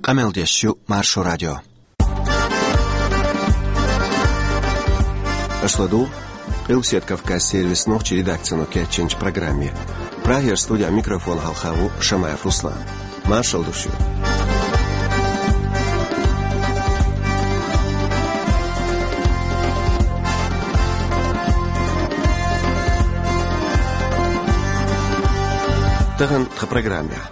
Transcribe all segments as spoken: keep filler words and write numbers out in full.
Къамел деш ю Маршо радио. Аша ладугӀу Къилбаседа Кавказ сервисан нохчийн редакцино кечйинчу программе. Прагера студехь микрофон хьалха ву Шамаев Руслан. Маршалла ду шуьга. Тахана тхан программехь.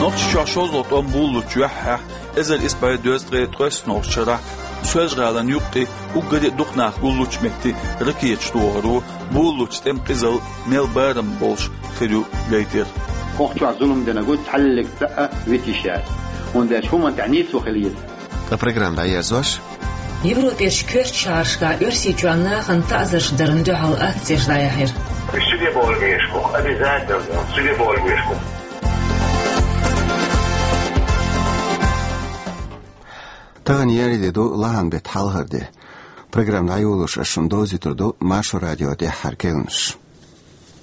Нохчийчохь шозлагӀа тӀом болалучу юьххьехь, эзар исс бӀе дезткъе ткъайоьссанолгӀачу шарахь, Соьлжа-ГӀалин юккъе уггаре а дукха нах гуллучу метте ракеташ тохар ву, болалучу тӀеман къизалла мел барам болуш хир ю гайтира. ХӀокху чохь зулам динарг ву, цхьаллиг цхьаъ а витийша яц. ХӀунда аьлча хӀуманна тӀехь нийсо хила еза. Ткъа программа дӀаерзош, Европерчу коьртачу шахьаршкахь Оьрсийчоьнан нахана таӀзарш дарна дуьхьал акцеш дӀаяьхьира. Суде болу вешку, обязательно, суде болу вешку. Тахана еарин де ду, лахьан беттан хьалхара де. Программа дӀайолош ас шуна довзуьйтур ду Маршо радион тӀаьххьара керланаш.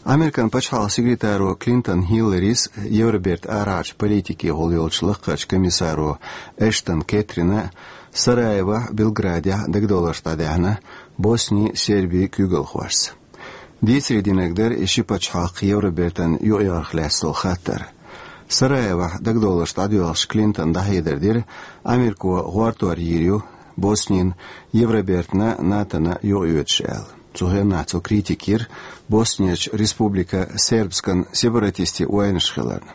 Американ пачхьалкхан секретаро Клинтон Хилларис, Евробертан арахьарчу политикехула йолчу лакхарчу комиссаро Эштон Кэтрина Сараевохь, Белградехь дагадовларш дӀадаьхьна Боснин, Сербин куьйгалхошца. Дийцаре динарг дара и ши пачхьалкх Евробертана юкъаярх лаьцна долу хаттар. Сараевохь дагадовларш дӀадоьлхуш, Клинтона дӀахьедар дира, Америко гӀортор йийр ю Боснина Евробертана, НАТОна юкъайоьдуш аьлла. Цу хенахь цо критика йира Боснерчу Республика Сербскан сепаратистийн вайнаш хиларна.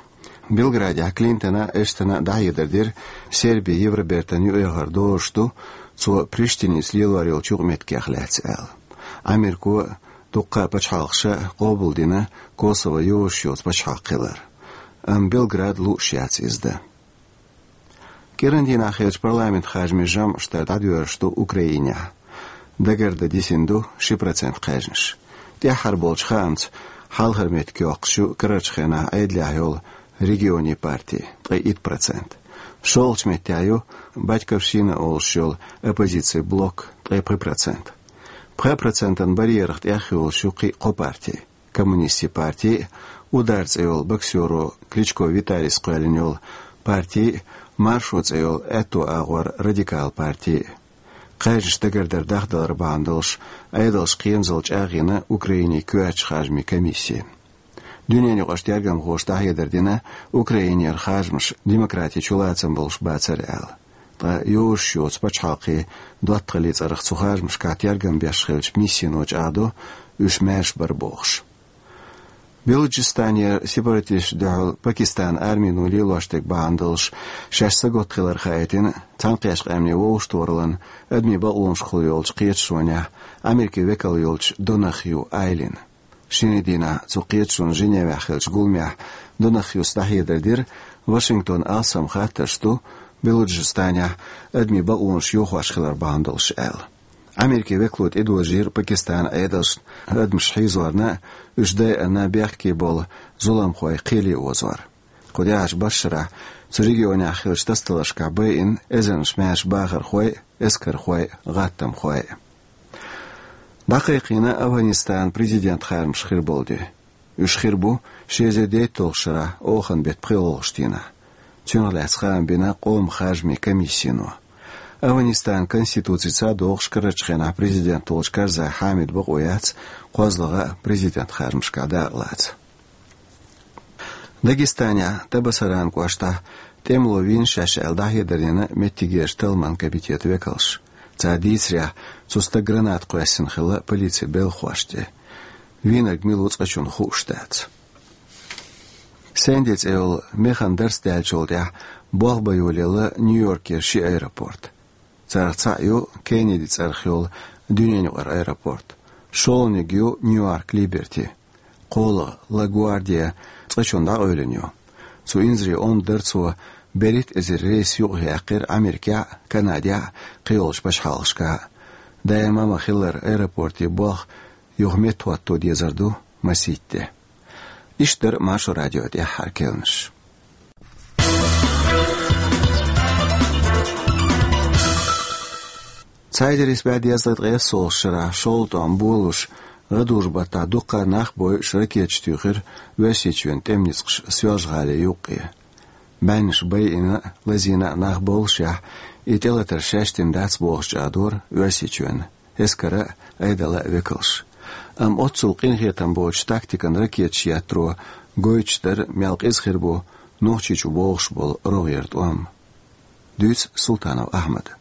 Белградехь Клинтона а, Эштона а дӀахьедар дира, Серби Евробертана юкъаяхар долуш ду, цо Приштиница лелор йолчу юкъаметтигех лаьцна аьлла. Америко а, дуккха а пачхьалкхаша а къобалдина Косово йозуш йоцу пачхьалкх хилар. Амма Белграда лууш яц иза дан. КӀиран дийнахь хиллачу парламентан харжамийн жамӀаш дар дӀадоьрзуш ду Украинехь. Дагардан дисина ду ши процент кхаьжнаш. ТӀаьххьара болчу хаамца, хьалхара меттиг йоккхуш ю карарчу хенахь Ӏедалехь йолу Регионийн партия, ткъе итт процент. ШолгӀачу меттехь ю Батьковщина олуш йолу оппозицин блок, ткъе пхи процент. Пхи процентан барьерах тӀехйолуш ю кхин а кхо парти. Коммунистийн парти а, Удар цӀе йолу боксеро Кличко Виталийс кхоьллина йолу парти а, Маршо цӀе йолу аьтту агӀор Радикал парти а. Кхаьжнаш дагардар дахдалар бахьана долуш, Ӏедалша кхерамзалла чӀагӀйина Украинин коьртачу харжамийн комисси. Дуьненаюкъарчу тергамхоша дӀахьедар дина, Украинера харжамаш демократин чулацам болуш бацара аьлла. Ткъа йозуш йоцу пачхьалкхийн доттагӀаллин цӀарах цу харжамашкахь тергам беш хиллачу миссино чӀагӀдо, уьш маьрша бара бохуш. Белуджистанера сепаратисташна дуьхьал Пакистанан армино лелош дерг бахьана долуш, шаьш сагатта хилар хаийтина Цхьаьнакхеттачу Къаьмнийн Вовшахтохараллин адамийн бакъонашкахула йолчу кхеташонехь Америкин векал йолчу Донахью Айлин. Шинарин дийнахь цу кхеташонан Женевехь хиллачу гуламехь Донахьюс дӀахьедар дира, Вашингтон алсам хаттарш ду Белуджистанехь адамийн бакъонаш йохош хилар бахьана долуш аьлла. Америкин векало тӀедожийра Пакистанан Ӏедалшна адамаш хьийзорна а, уьш дайъина бехке болу зуламхой кхеле озор. Кху тӀаьхьарчу бархӀ шарахь цу регионехь хиллачу тасадаларшкахь байина эзарнаш маьрша бахархой а, эскархой а, гӀаттамхой а. ДӀакхайкхийна Афганистанан президентан харжамаш хир болу де. Уьш хир бу ши эзар дейтталгӀачу шарахь оханан беттан пхоьалгӀачу дийнахь. Цунах лаьцна хаам бина къоман харжамийн комиссино. Афганистанан конституци схьадохуш карарчу хенахь президент волчу Карзай Хьамидан бакъо яц кхозлагӀа а президентан харжамашкахь дакъалаца. Дагестанехь Табасаран кӀоштахь тӀемало вийна шаьш аьлла дӀахьедар дина меттигерчу талламан комитетан векалша. Цара дийцарехь, цу стага граната кхоьссина хилла полицин белхахошна тӀе. Вийнарг мила ву цкъачунна хууш дац. Сэнди цӀе йолу механа дарс даьллачул тӀаьхьа болх бан йолаелла Нью-Йоркера ши аэропорт. Царах цхьаъ ю Кеннеди цӀарах йолу дуьненаюкъара аэропорт. ШолгӀаниг ю Ньюарк Либерти. КхоалгӀа, Ла Гвардия, цкъачунна дӀакъевлина ю. Цу инзаре онда дара цо берхӀитта эзар рейс юкъаяьккхира Америкехь а, Канадехь а, кхийолчу пачхьалкхашкахь а. Даима ма-хиллара, аэропортан болх юха меттахӀотто дезар ду масийтта де. Иштта дара Маршо радион тӀаьххьара керланаш. Цхьа эзар исс бӀе дезткъе ткъайоьссолгӀачу шарахь шолгӀа тӀом болалуш, гӀадужу-баттахь дуккха а нах бойуш, ракеташ туьйхира Оьрсийчоьнан тӀеман ницкъаша Соьлжа-ГӀалин юккъе. БӀеннаш байина а, лазийна а нах боллушехь, и тӀелатар шаьш дина дац бохуш чӀагӀдора Оьрсийчоьнан эскаран а, Ӏедалан а векалш. Амма оццул къинхетам боцучу тактикан ракеташ еттаро гойтуш дара, мел къиза хир бу Нохчийчу богӀуш болу рогӀера тӀом. Дуьйцу Султанов Ахьмада.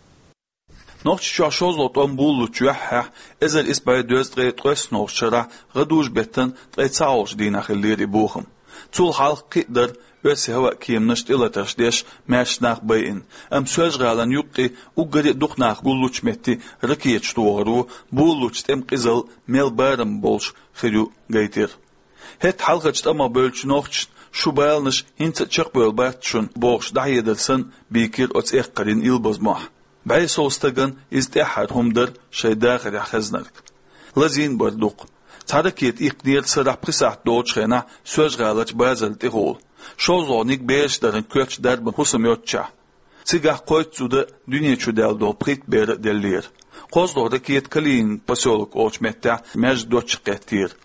Нохчийчохь шозлагӀа тӀом буллучу юьххьехь, эзар исс бӀе дезткъе ткъайоьсналгӀачу шарахь гӀадужу-беттан ткъе цхьалгӀачу дийнахь хиллера и бохам. Цул хьалха кхин а дара оьрсийн хӀаваан-кеманаш тӀелатарш деш маьрша нах байина, амма Соьлжа-ГӀалина юккъе уггаре а дукха нах гуллучу метте ракеташ тохаро буллучу тӀеман къизалла мел барам болуш хир ю гайтира. ХӀетахь хьалхарчу тӀамах бевллачу нохчашна шу баланаш хӀинца а чекхбевлла бац шуна бохуш дӀахьедар санна, бийкира оцу эккхарийн илбазмохь. БӀе сов стагана иза тӀаьххьара хӀума дара шайн дахарехь хезнарг. Лазийна а бара дукха. Цхьа ракета иккхинера сарахь пхи сахьт долчу хенахь Соьлжа-ГӀаларчу базарна тӀехула. ШозлагӀниг бераш даран коьртачу дарбан хӀусам йоццушехь. Цигахь кхойтта зуда а, дуьне чу даьлла долу пхийтта бер а деллера. КхозлагӀа ракета Калинин посёлок олучу меттехь маьждиг доцчуьра кхеттера.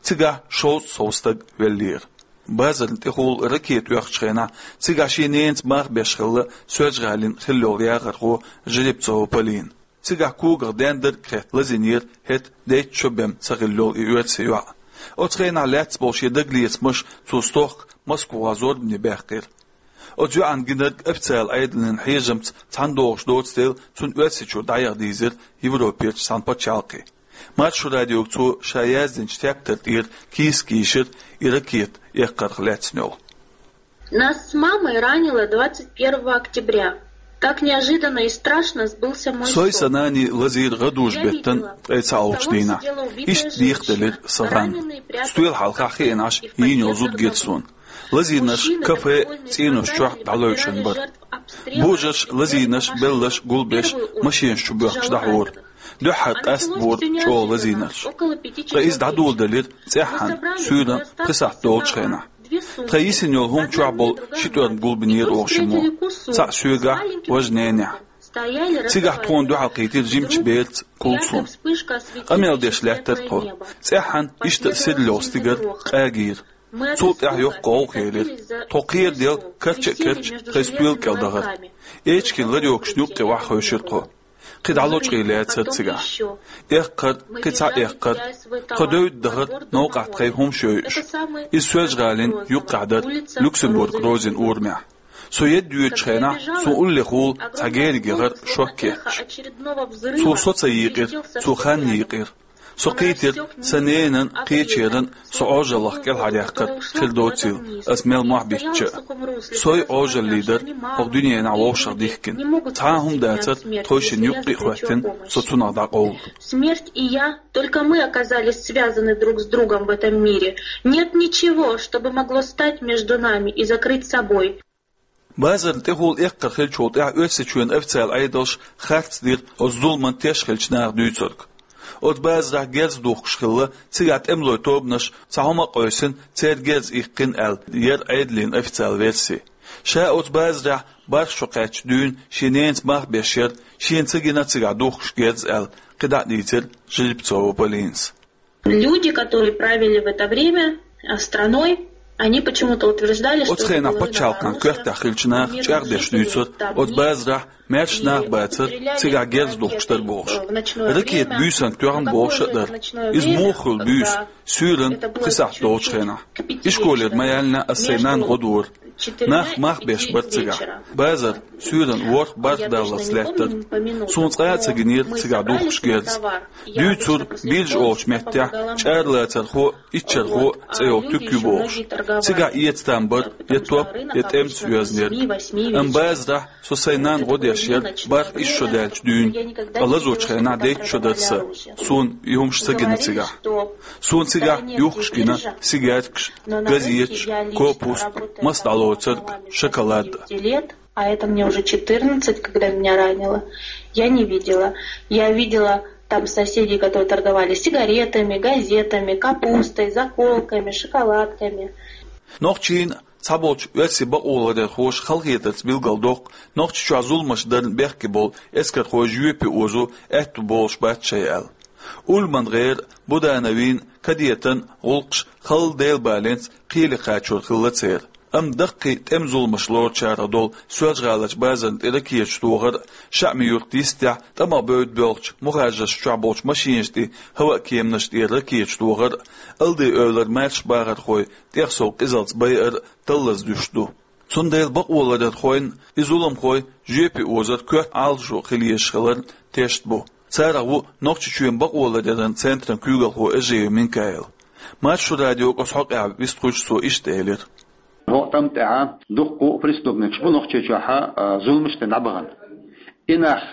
Цигахь шовзткъа сов стаг веллера. Базарна тӀехула ракета оьхучу хенахь, цигахь шен ненаца мах беш хилла Соьлжа-ГӀалина хилла йолу яхархо Жеребцова Полина. Цигахь когах дендерг а хетта лазийнера хӀетахь дейтта шо бен ца хилла йолу и оьрсийн йоӀ. Оцу хенахь лаьцна болу шен дагалецамаш цо стохка Москвахь зорбане баьккхира. Оцу йоӀана гинарг официалан Ӏедалан хьежамца цхьаьна догӀуш доцу дела, цунна Оьрсийчуьра дӀаяха дийзира Европерчу цхьана пачхьалкхе. Маршо радиога цо ша яздинчу тептар тӀера кийсак йийшира и ракета эккхарх лаьцна йолу. Нас с мамой ранило двадцать первого октября. Так неожиданно и страшно сбылся мой Сой сон. Сан нана лазийра гӀадужу-беттан ткъе цхьалгӀачу дийнахь. Иштта дехаделира сан гӀан. Стоьла хьалха хиъна Ӏаш йийна йолу зуда гира суна. Лазийнарш кафе, цӀенош чохь дӀалевшина бара. Божарш лазийнарш белларш гулбеш машенаш чу боьхкуш дӀахьора. Дуьххьара къастабора чӀогӀа лазийнарш. Ткъа иза дӀадоладелира цӀеххьана, суьйранна пхи сахьт долчу хенахь. Тхан йисина йолу хӀума чохь болу ши тӀорма гулбинера оха шиммо. Цхьаъ соьгахь, важа ненехь. Цигахь тхуна дуьхьалкхийтира жимачу бераца Кулсум. Къамел деш лаьттара тхо. ЦӀеххьана иштта а сирла йолу стигар къагийра. Цул тӀаьхьа йоккха гӀовгӀа хилира. Тхо кхераделла карча а карча тхайн стоьла кӀел дахара. Эчиган ларёгашна юккъе охьахевшира тхо. Кхин дӀа лочкъий лаьцара цигахь. Эккхар, кхин цхьа эккхар. Тхо девдда дахара новкъахь тхайн хӀумаш йойуш. Иза Соьлжа-ГӀалина юккъехь дара, Люксембург-Розин урамехь. Со едда йоьдучу хенахь суна уллехула цхьа герга яхара шок кечдеш. Цо со ца йийкъира, цо хан йийкъира. Со кхийтира сан ненан, кхечеран со Ӏожаллах кӀелхьаръяккхар хир доцийла, ас мел мохь биттича а. Сой Ӏожаллий дара хӀокху дуьненахь вовшах дихкина. Цхьа а хӀума дацара тхойшинна юккъе а хӀоьттина, со цунах дӀакъовла. Смерть и я, только мы оказались связаны друг с другом в этом мире. Нет ничего, что бы могло стать между нами и закрыть собой. Базарна тӀехула эккхар хиллачул тӀаьхьа Оьрсийчоьнан официалан Ӏедалша харц дира оцу зуламан теш хиллачу наха дуьйцург. Оцу базарахь герз духкуш хилла, цигахь тӀемалойн тобанаш цхьа хӀума а къевсина, церан герз иккхина аьлла, яра Ӏедалан официалан верси. Ша оцу базарехь бархӀ шо кхаьчча дуьйна шен ненаца мах беш яра, шена ца гина цигахь духкуш герз аьлла, кхидӀа а дийцира Жеребцова Полинас. Люди, которые правили в это время, а, страной, они почему-то утверждали, что... Оцу хенахь пачхьалкхан коьртехь хиллачу наха чӀагӀдеш дуьйцура, оцу базарахь маьрша нах бацара, цигахь герз духкуш дара бохуш. Ракета буьйсанна тоьхна бохуш а дара. Иза муха хуьлу буьйса, суьйранна пхи сахьт долчу хенахь. Ишколера ма яьллинехь ас сайн нанна гӀо дора. Нах мах беш бара цигахь. Базар суьйранна ворхӀ-бархӀ даллалц лаьттара. Суна цкъа а ца гинера цигахь духкуш герз. Дуьйцура биржа олучу меттехь чӀаралацархо а, иччархо а цӀе йолу туька ю бохуш. Цигахь эца там бара я топ, я тӀемца йоьзнарг. Амма базарахь со сайн нанна гӀо деш яра бархӀ-исс шо даьлча дуьйна. Ткъа лазочу хенахь дейтта шо дара сан. Суна и хӀумаш ца гина цигахь. Суна цигахь юхкуш гина сигаьркаш, газеташ, копуст, мас дӀалоцург, шоколад. А это мне уже четырнадцать, когда меня ранило. Я не видела. Я видела там соседей, которые торговали сигаретами, газетами, капустой, заколками, шоколадками. Нохчийн цхьаболчу оьрсийн бакъоларъярхоша халахетарца билгалдоккху Нохчийчохь зуламаш дарна бехке болу эскархой жоьпе озо аьтту болуш бац шайн аьлла. Ульман-ГӀеран, Будановин, Кадетан гӀуллакхаш халла Делан баленца кхеле кхачор хилла церан. Амма даккхий тӀеман зуламаш лоручарах долу Соьлжа-ГӀаларчу базарна тӀе ракеташ тохар а, ШаӀми-Юрт йистехь тӀамах бевдда боьлхучу мухӀажаршна чохь болчу машинашна тӀе, хӀаваан кеманашна тӀе ракеташ тохар а, Алдай-Эвлара маьрша бахархой тӀех сов къизалц байар а таллаза дуьсуш ду. Цундела бакъоларъярхойн а, и зуламхой жоьпе озар коьрта Ӏалашо хила езаш хиларан тешна бу. Царах ву Нохчийчоьнан бакъоларъяран центран куьйгалхо Эжиев Минкаил. Маршо радиога оцу хьокъехь вистхуьлуш цо иштта элира: ХӀокху тӀам тӀехь дуккха а преступникаш бу Нохчийчохь а, зуламаш дина дӀабахана. И нах,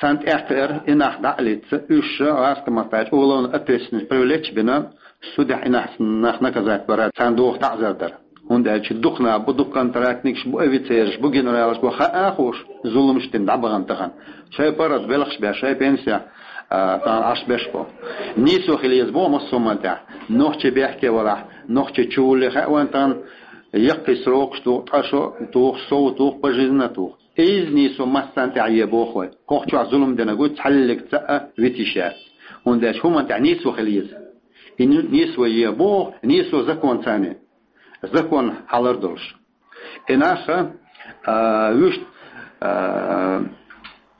царна тӀекхиар, и нах дӀа а лицца, уьш гӀазкхийн маттахь уголовно ответственность привлечь а бина, судехь и нах, нах наказать бара, царна доху таӀзар дар. ХӀунда аьлча дукха нах бу, дукха контрактникаш бу, офицераш бу, генералаш бу, хаа а хууш, зуламаш дина дӀабахана тахана. Шайн паргӀат белхаш беш, шайн пенсехь, а, тахана Ӏаш беш бу. Нийсо хила еза боху массо а хӀуманна тӀехь. Нохчий бехке валахь, нохчий чу вулле хаьа вайн тахана, яккхий срокаш туху, ткъа шо туху, сов туху, пожизненно туху. Иза нийсо массарна тӀехь е боху вай. ХӀокху чохь зулам динарг ву, цхьаллиг цхьа а вита йиш яц. ХӀунда аьлча хӀуманна тӀехь нийсо хила еза. И ни-, нийсо е боху, нийсо законца а. Закон хьалар долуш. И нах, а, вуьшта, а,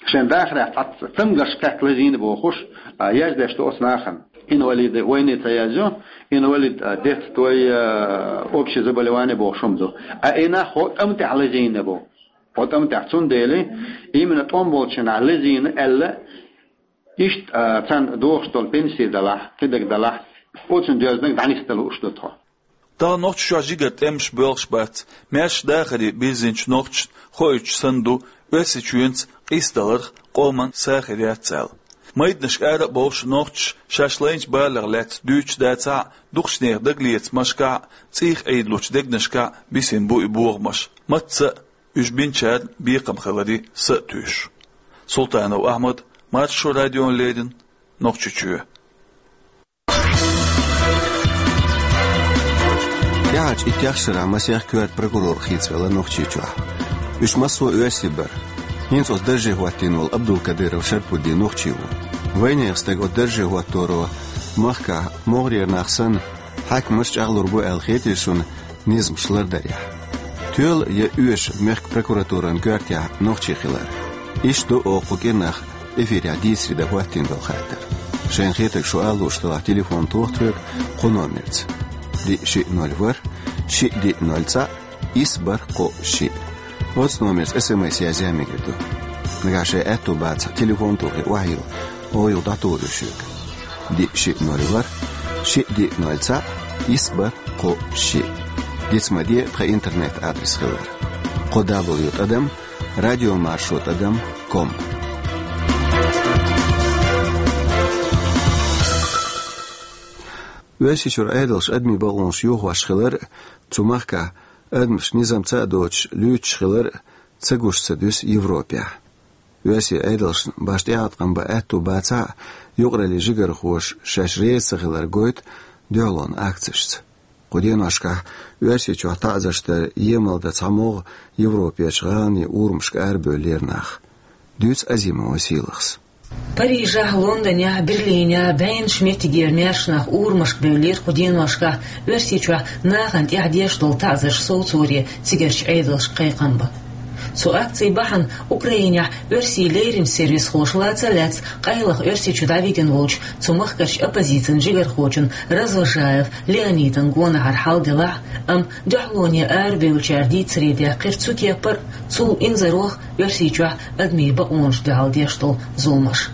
шайн дахарехь цхьацца цамгарш кхетта лазийна бохуш, а, яздеш ду оцу нахана. Инвалиды войны ца язйо, инвалид, а, детства, а, общее заболевание бохуш хӀума ду. А и нах хӀокху тӀам тӀехь лазийна бу. ХӀокху тӀам тӀехь, цундела именно тӀом болчу нах лазийна аьлла, иштта, а, царна дохуш долу пенсий далахь, кхидерг далахь, оцунна доьзнарг дӀанисдан лууш ду тхо. Тахана Нохчийчохь жигара тӀемаш боьлхуш бац. Маьрша дахаре бирзинчу нохчашна хоуьйтуш санна ду, Оьрсийчоьнца къийсадаларх къоман са хир яц аьлла. Майданашка ара а бовлуш, нохчаша шаьш лайначу балех лаьцна дуьйцуш дацахь а, дукхачу нехан дагалецамашкахь а, цӀийх Ӏийдалучу дегнашкахь а бисина бу и бохамаш. Мацца а уьш бинчарна бекхам хиларе са а туьйсуш. Султанов Ахьмад, Маршо радиона леррина, Нохчийчоь. ТӀаьхьарчу иттех шарахь масех коьрта прокурор хийцавелла Нохчийчохь. Уьш массо а оьрсий бара. ХӀинца оцу дарже хӀоттийна волу Абдулкадыров Шарпуддин нохчи ву. Вайнехан стаг оцу дарже хӀотторо махкахь могӀарера нах санна, хьаькамаш чӀагӀлур бу аьлла хетий шуна низамаш лардарехь? Тоьла я оьшу мехкан прокуратуран коьртехь нохчи хилар? Иштта ду оха кху кӀирнах эфирехь дийцаре дан хӀоттийна долу хаттар. Шайна хетарг шу ала лууш делахь, телефон тоха тхоьга кху номерца: диъ шиъ ноль ворхӀ, шиъ диъ ноль цхьаъ, исс бархӀ кхоъ шиъ. Оцу номерца эс эм эс язъян мегар ду. Нагахь шайн аьтту бацахь, телефон тухий охьайилла, оха юха дӀатухур ю шуьга. Диъ шиъ ноль ворхӀ, шиъ диъ ноль цхьаъ, исс бархӀ кхоъ шиъ. Диц ма де тхан интернет-адрес хилар: кхо дабл ю тӀадам радиомаршо тӀадам ком. Оьрсийчуьра Ӏедалша адамийн бакъонаш йохош хилар а, цу махкахь адамаш низамца а доцуш луьйчуш хилар а ца гуш ца дуьсу Европехь. Оьрсийн Ӏедалшна башха тӀеӀаткъам бан аьтту бацахь а, юкъараллин жигархоша шаьш реза ца хилар гойту дуьхьалонан акцешца. Кху деношкахь Оьрсийчохь таӀзарш дар емал дан цхьа могӀа Европерчу гӀаланийн урамашка арабевллера нах. Дуьйцу Азимова Сийлахьас. Парижехь, Лондонехь, Берлинехь бӀеннаш меттигера маьрша нах урамашка бевллера кху деношкахь Оьрсийчохь нахана тӀехь деш долу таӀзарш совцоре цигарчу Ӏедалшка кхайкхам бан. Цу акцийн бахьана Украинехь оьрсийн леринчу сервисхоша лаца а лаьцна къайлаха Оьрсийчу дӀавигна волчу цу махкарчу оппозицин жигархочун Развожаев Леонидан гонахьара хьал делахь а, амма дуьхьалоне арабевллачара дийцаре даьккхира цу кепара а, цул инзарах а Оьрсийчохь адамийн бакъонашна дуьхьал деш долу зуламаш.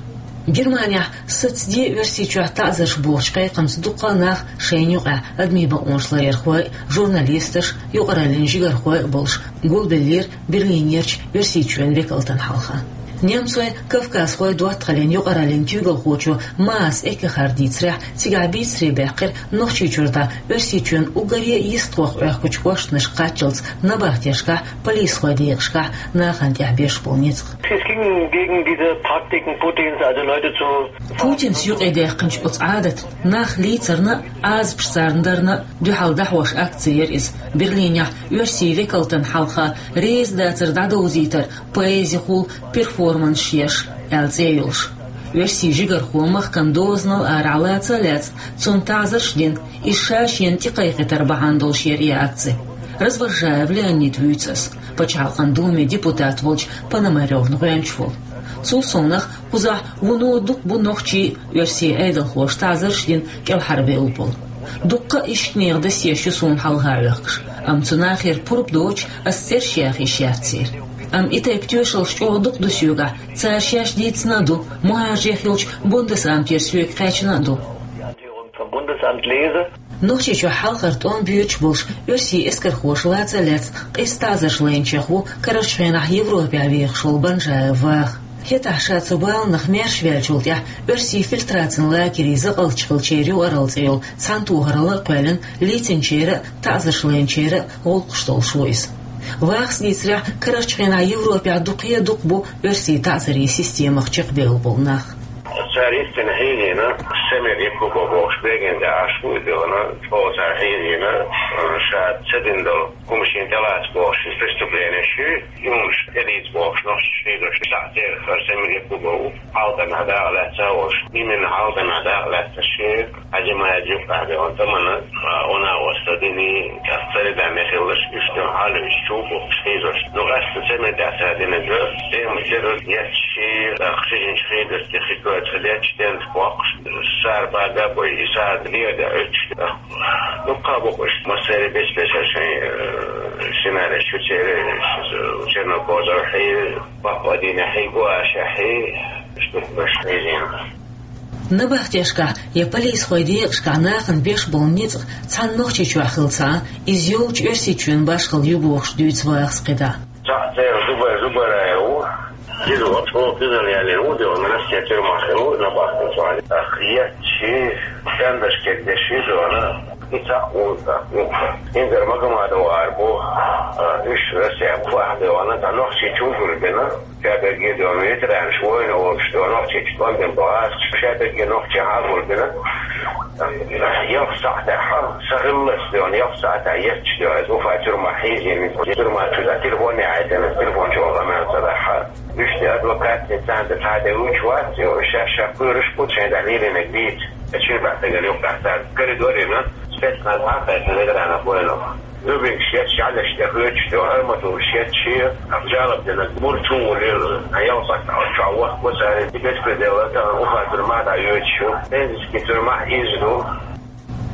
Германехь сацаде Оьрсийчохь таӀзарш бохучу кхайкхамца дуккха а нах, шайна юкъахь адамийн бакъонаш ларъярхой а, журналисташ а, юкъараллин жигархой а болуш, гулбеллера Берлинерчу Оьрсийчоьнан векалтан хьалха. Немцойн, кавказхойн доттагӀаллин юкъараллин куьйгалхочо Маас Эккехара дийцарехь, цигахь бийцаре баьккхира Нохчийчуьра дӀа Оьрсийчоьнан уггаре а йистхох Ӏохкучу кхоьллинашка кхаччалц набахтешкахь, полисхойн декъашкахь нахана тӀехь беш болу ницкъ. Es ging gegen diese Praktiken Putins, also Leute zu Путинца юкъедаьккхинчу оцу Ӏадатна, нах лийцарна а, Ӏазапаш царна дарна а дуьхьал дӀахьош акци яра иза. Берлинехь оьрсийн векалтан хьалха реза дацар дӀадовзийтар поэзихула, перформанс еш аьлла цӀе йолуш. Оьрсийн жигархо махкан дозанал арахь лаца а лаьцна, цунна таӀзарш а дина, иза ша шена тӀекхайкхийтар бахьана долуш яра и акци. Развозжаев Леонид вуьйцу ас, Пачхьалкхан Думе депутат волчу Пономарёвна гӀоьнча волу. Цул совнаха, кхузахь вуно дукха бу нохчий, оьрсийн Ӏедалхоша таӀзарш дина кӀелхьарвелла болу. Дуккха а иштанехан досьеш ю суна хьалха хьоькхуш, амма цу нахера пурба доцуш, ас цераш яха йиш яц церан. Амма и тайпа тоьшаллаш чӀогӀа дукха ду соьгахь, цара шаьш дийцина а ду, мухӀажарех йолчу Бундесамтера соьга кхаьчна а ду. Нохчийчохь хьалхара тӀом боьдуш болуш оьрсийн эскархоша лаца а лаьцна, къиза таӀзарш лайначех ву карарчу хенахь Европехь вехаш волу Банжаев Ваха. ХӀетахь ша цу баланах маьрша ваьллачул тӀаьхьа оьрсийн фильтрацин лагерийн закъалтчу хиллачеран юкъаралла цӀе йолу цхьаьнатохаралла а кхоьллина, лийцинчеран а, таӀзарш лайначеран а гӀуллакхаш долуш ву иза. Вахас дийцарехь, карарчу хенахь Европехь дукха а дукха бу оьрсийн таӀзарийн системах чекхбевлла болу нах. Цара йистина хьийзийна, Самир Якубов бохуш беган де Ӏаш ву и дела, чӀогӀа цара хьийзийна, ша ца дина долу хӀума шена тӀелаца бохуш, иза преступление ши, и хӀуманаш тӀелийца бохуш, нохчаша хьийзош, цхьаъ церах хӀара Самир Якубов ву, хьалхарнахь дакъа лаьцна а волуш, именно хьалхарнахь дакъа лаьцна ши, Хьаьжимаев юккъехь бевлла тӀамана, а, уна а васта дини, цӀа ца ридан мехиллаш, уьш дан хьалуьйш чу бу хьийзош. Ну, къаьстина Самир тӀехь ца динарг, тема террор еццаш, а, кхижинчу хьийзарца хи коьрта хи детташ, тент боккхуш, сара бага а бой, и сара леда оьцуш. Ну, кхаба бу уьш, массаьрий бес-бесара шайн, э, сценареш ю церан, э, Чернокожев хьий, Бакъ Вадиме хьий, Гуаша хьий, уьш ду уьш хьийзийна. Набахтешкахь я полисхойн декъашкахь нахана беш болу ницкъ цхьана Нохчийчохь хилла ца Ӏа, иза йолчу Оьрсийчоьнан башхалла ю бохуш дуьйцу Вахас кхидӀа. Цхьаъ церан Зубай-, Зубайраев ву. Иза ву, чӀогӀа кхидӀа яьллина ву, де ван Россия тюрьмахь хилла ву, набахтин цхьаъ. Ах, етташ, стендаш кегдеш ю, де ван. И цхьаъ ву, цхьаъ ву. Ингар Магомадов ара бу, а, уьш Россия бу, ахь де ван, цхьа Нохчийчу гулбина. Ша берриге а де ван ветеранаш, война волуш де ван, Нохчийчу тӀом бина бу гӀазкхаша, ша берриге нохчи хьагулбина. Ялх сахьтехь, сан хиллалц де ван, ялх сахьтехь етташ де ван, иза Уфа тюрьмахь хьийзийна, тюрьма чу дан телефон яхьийтина, телефон чу ван къамел ца дахьа. Уьш де адвокатца царна тӀе цхьа де вуьйцуш вац, ша, ша кхоьруш бу, шайн тӀехь лелийнарг дийца. Ша чуьра баьхкинарг юккъехь цара коридоре ма, спецназ хьакхайкхина ветеранах война. Дубинкаш етташ, жӀаьлаш тӀе хоьттуш, хӀара ма тулуш етташ, ах, жалоб динарг мур чу вулийла, хан ялхатта чохь вахка цара, и беспредел а, тахана Уфа тюрьмахь дӀайоьдуш ю, Пензенский тюрьмахь иза ду.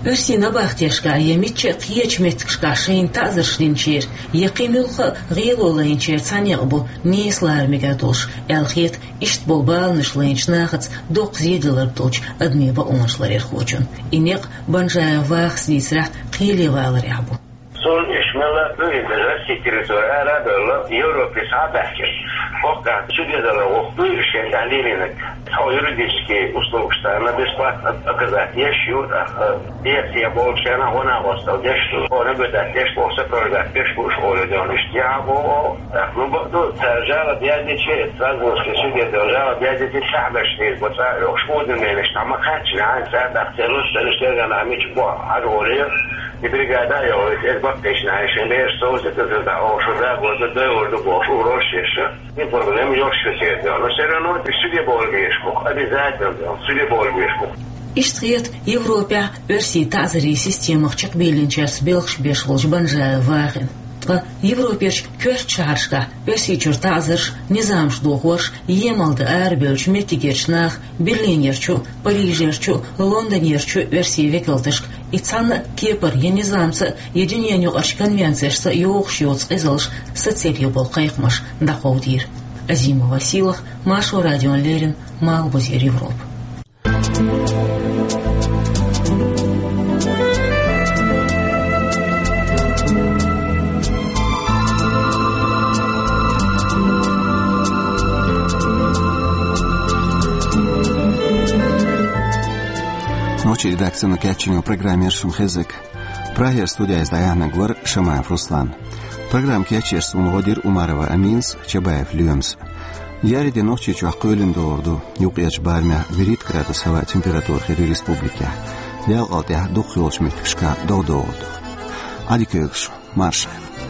Оьрсийн набахтешкахь я мичча а кхечу меттигашкахь шайна таӀзарш динчеран, я кхин муьлхха а гӀело лайначеран цхьа некъ бу нийса лара мегар долуш, аьлла хета иштта болу баланаш лайначу нахаца доккха зеделларг долчу адамийн бакъонаш ларъярхочун. И некъ Банжаев Вахас дийцарехь кхеле валарехь бу. Цунна уьш мелла а дуьйна, даже Россия территори ара а бевлла, Европе схьа а баьхкина. ХӀокху тӀехь чудерзалла воккха дуй уьш шен тӀехь лелийнарг. Тхо юридический услугаш царна бесплатно оказать еш ю, тӀаккха, э, дехьа болчарна гӀо-накъосталла деш ду, хьо наблюдать деш боху, сопровождать деш бу уьш олий де ван, иштта яхьа боху. ТӀаккха, ну, бакъду, цара жалоб яздича, сразу чудерзалла жалоб яздича, сахьбеш дийр бу цӀа а йохуш, уведомлениеш дӀа ма кхаьччина, хьайн цара тӀаккха церан луш, церан шерга нах мича боху хьажа олий, и бригада а йохуьйту, эс баккхийчу нахе шайн бераш совсийтаза дӀа, оха шу дагор ду, дойур ду бохуш, угрозаш еш. И проблема йолуш ю церан. Но всё равно и суде бовла безаш бу, обязательно суде бовла безаш бу. Иштта хета Европехь оьрсийн таӀзарийн системах чекхбийлинчаьрца белхаш беш волчу Банжаев Вахина. Ткъа Европерчу коьртачу шахьаршкахь Оьрсийчуьра таӀзарш, низамаш дохорш емал дан арабевллачу меттигерчу наха Берлинерчу, Парижерчу, Лондонерчу оьрсийн векалташка и цхьанна а кепара я низамца, я дуьненаюкъарчу конвенцешца йогӀуш йоцу къизалш сацаре болу кхайкхамаш дӀакховдийра. Азима Василах, Маршо радиона леррина, Малхбузера Европа. Нохчийн редакцино кечйина программа яра шуна хезнарг. Прагера студехь дӀаяьхьнарг вара Шамаев Руслан. Программа кечъеш суна гӀо дира Умарова Аминас, Чабаев Лоьмас. Еарин де Нохчийчохь кхоьлина догӀур ду, юккъерчу барамехь вуьрхӀитта градус хӀаваан температура хир ю республикехь. Ялкъал тӀехь дукхахйолчу меттигашкахь догӀа догӀур ду. Ӏадика йойла шун, марша Ӏойла.